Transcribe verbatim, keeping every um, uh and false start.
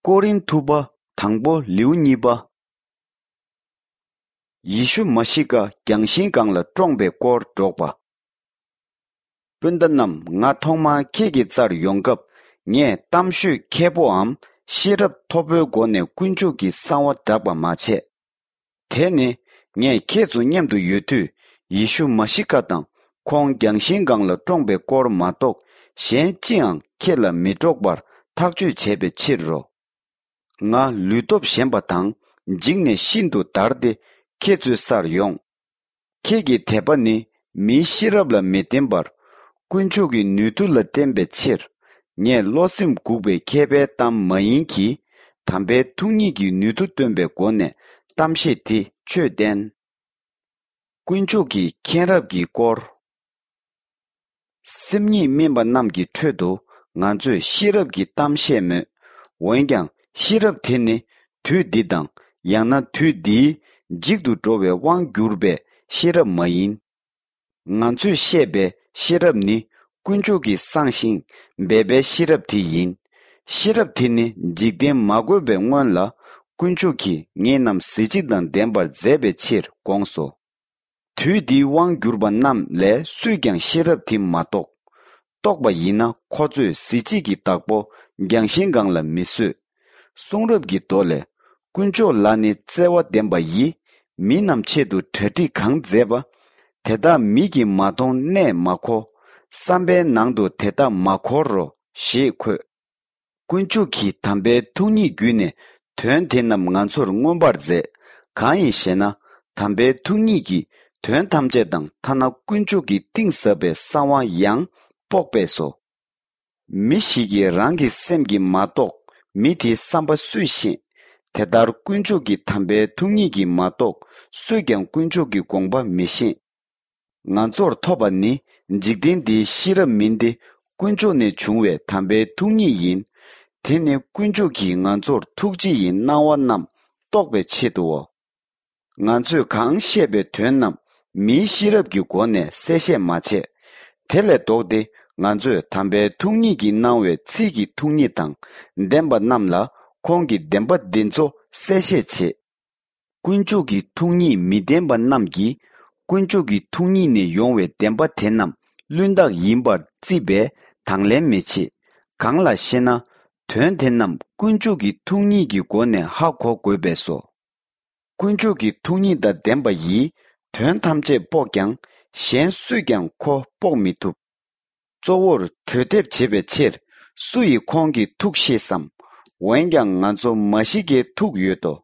ཀོ་རིན་ཐུ་པ་དང་པོ་ལེའུ་གཉིས་པ། ཡེ་ཤུ་མ་ཤི་ཀ་རྒྱང་ཤིང་སྒང་ལ་བཀྲོངས་པའི་སྐོར་སྒྲོག་པ། སྤུན་ཟླ་རྣམས། ང་ཐོག་མར་ཁྱེད་ཀྱི་རྩར་ཡོང་སྐབས། ངས་གཏམ་ཤོད་མཁས་པོའམ་ཤེས་རབ་མཐོ་པོའི་སྒོ་ནས་དཀོན་མཆོག་གི་གསང་བ་བསྒྲགས་པ་མ་བྱས། དེ་ནི་ངས་ཁྱེད་ཚོ་མཉམ་དུ་ཡོད་དུས། ཡེ་ཤུ་མ་ཤི་ཀ་དང་ཁོང་རྒྱང་ཤིང་སྒང་ལ་བཀྲོངས་པའི་སྐོར་མ་གཏོགས། གཞན་ཅིའང་ཁྱེད་ལ་མི་སྒྲོག་པར་ཐག་གཅོད་བྱས་པའི་ཕྱིར་རོ། ང་ལུས་སྟོབས་ཞན་པ་དང་། འཇིགས་ནས་ཤིན་ཏུ་འདར་ཏེ་ཁྱེད་ཚོའི་སར་ཡོང་། ཁྱེད་ཀྱི་དད་པ་ནི་མིའི་ཤེས་རབ་ལ་མི་བརྟེན་པར། དཀོན་མཆོག་གི་ནུས་མཐུ་ལ་བརྟེན་པའི་ཕྱིར། ངས་བློ་སེམས་འགུག་པའི་མཁས་པའི་གཏམ་མ་ཡིན་གྱི། དམ་པའི་ཐུགས་ཉིད་ཀྱི་ནུས་མཐུ་སྟོན་པའི་སྒོ་ནས་གཏམ་བཤད་དེ་ཆོས་བསྟན། དཀོན་མཆོག་གི་མཁྱེན་རབ་ཀྱི་སྐོར། སེམས་ཉིད་སྨིན་པ་རྣམས་ཀྱི་ཁྲོད་དུ་ང་ཚོས་ཤེས་རབ་ཀྱི་གཏམ་བཤད་མོད། འོན་ཀྱང་ཤེས་རབ་དེ་ནི་དུས་འདི་དང་། ཡང་ན་དུས་འདིའི་འཇིག་ཏུ་འགྲོ་བའི་དབང་གྱུར་པའི་ཤེས་རབ་མ་ཡིན། ང་ཚོས་བཤད་པའི་ཤེས་རབ་ནི་དཀོན་མཆོག་གིས་བསྲངས་ཤིང་སྦས་པའི་ཤེས་རབ་དེ་ཡིན། ཤེས་རབ་དེ་ནི་འཇིག་རྟེན་མ་བཀོད་པའི་སྔོན་ལ། དཀོན་མཆོག་གིས་ངེད་རྣམས་གཟི་བརྗིད་དང་ལྡན་པར་མཛད་པའི་ཕྱིར་དགོངས་སོ། དུས་འདིའི་དབང་གྱུར་པ་རྣམས་ལས་སུས་ཀྱང་ཤེས་རབ་དེ་མ་རྟོགས། རྟོགས་པ་ཡིན་ན་ཁོ་ཚོས་གཟི་བརྗིད་ཀྱི་བདག་པོ་རྒྱང་ཤིང་སྒང་ལ་མི་བཟོད། གསུང་རབ་ཀྱི་མདོ་ལས། དཀོན་མཆོག་ལ་ནི་བརྩེ་བ་ལྡན་པ་ཡིས། མི་རྣམས་ཆེད་དུ་གྲ་སྒྲིག་གང་མཛད་པ། དེ་དག་མིག་གིས་མ་མཐོང་གནས་མ་གོ། བསམ་པའི་ནང་དུ་དེ་དག་མ་འཁོར་རོ། ཞེས་འཁོད། དཀོན་མཆོག་གིས་དམ་པའི་ཐུགས་ཉིད་བརྒྱུད་ནས་དོན་དེ་རྣམས་ང་ཚོར་མངོན་པར་མཛད། གང་ཡིན་ཞེ་ན། དམ་པའི་ཐུགས་ཉིད་ཀྱིས་དོན་ཐམས་ཅད་དང་ཐ་ན་དཀོན་མཆོག་གིས་གཏིང་ཟབ་པའི་གསང་བ་ཡང་དཔོག་པས་སོ། མི་ཞིག་གིས་རང་གི་སེམས་ཀྱིས་མ་རྟོགས་མི་དེའི་བསམ་པ་སུས་ཤེས། དེ་ལྟར་དཀོན་མཆོག་གི་དམ་པའི་ཐུགས་ཉིད་ཀྱིས་མ་རྟོགས་སུས་ཀྱང་དཀོན་མཆོག་གི་དགོངས་པ་མི་ཤེས། ང་ཚོར་ཐོབ་པ་ནི་འཇིག་རྟེན་འདིའི་ཤེས་རབ་མིན་ཏེ། དཀོན་མཆོག་ནས་བྱུང་བའི་དམ་པའི་ཐུགས་ཉིད་ཡིན། དེ་ནི་དཀོན་མཆོག་གིས་ང་ཚོར་ཐུགས་རྗེ་ཡི་སྣང་བ་རྣམས་རྟོགས་པའི་ཆེད་དུའོ། ང་ཚོས་གང་བཤད་པའི་དོན་རྣམས་མིའི་ཤེས་རབ་ཀྱི་སྒོ་ནས་གསལ་བཤད་མ་བྱས། དེ་ལས་ལྡོག་སྟེ་ང་ཚོས་དམ་པའི་ཐུགས་ཉིད་ཀྱིས་གནང་བའི་ཚིག་གི་ཐུགས་ཉིད་དང་ལྡན་པ་རྣམས་ལ་ཁོང་གི་བདེན་པ་འདི་ཚོ་གསལ་བཤད་བྱེད། དཀོན་མཆོག་གི་ཐུགས་ཉིད་མི་ལྡན་པ་རྣམས་ཀྱིས་དཀོན་མཆོག་གི་ཐུགས་ཉིད་ནས་ཡོང་བའི་བདེན་པ་དེ་རྣམས་བླུན་རྟགས་ཡིན་པར་བརྩིས་པས་དང་ལེན་མི་བྱེད། གང་ལགས་ཤེ་ན། དོན་དེ་རྣམས་དཀོན་མཆོག་གི་ཐུགས་ཉིད་ཀྱི་སྒོ་ནས་ཧ་གོ་དགོས་པས་སོ། དཀོན་མཆོག་གི་ཐུགས་ཉིད་དང་ལྡན་པ་ཡིས་དོན་ཐམས་ཅད་དཔོག་ཀྱང་གཞན་སུས་ཀྱང་ཁོ་དཔོག་མི་ཐུབ། གཙོ་བོར་གྲོས་འདེབས་བྱེད་པའི་ཕྱིར་སུ་ཡིས་ཁོང་གི་ཐུགས་ཤེས་སམ། འོན་ཀྱང་ང་ཚོ་མ་ཤི་ཀའི་ཐུགས་ཡོད་དོ།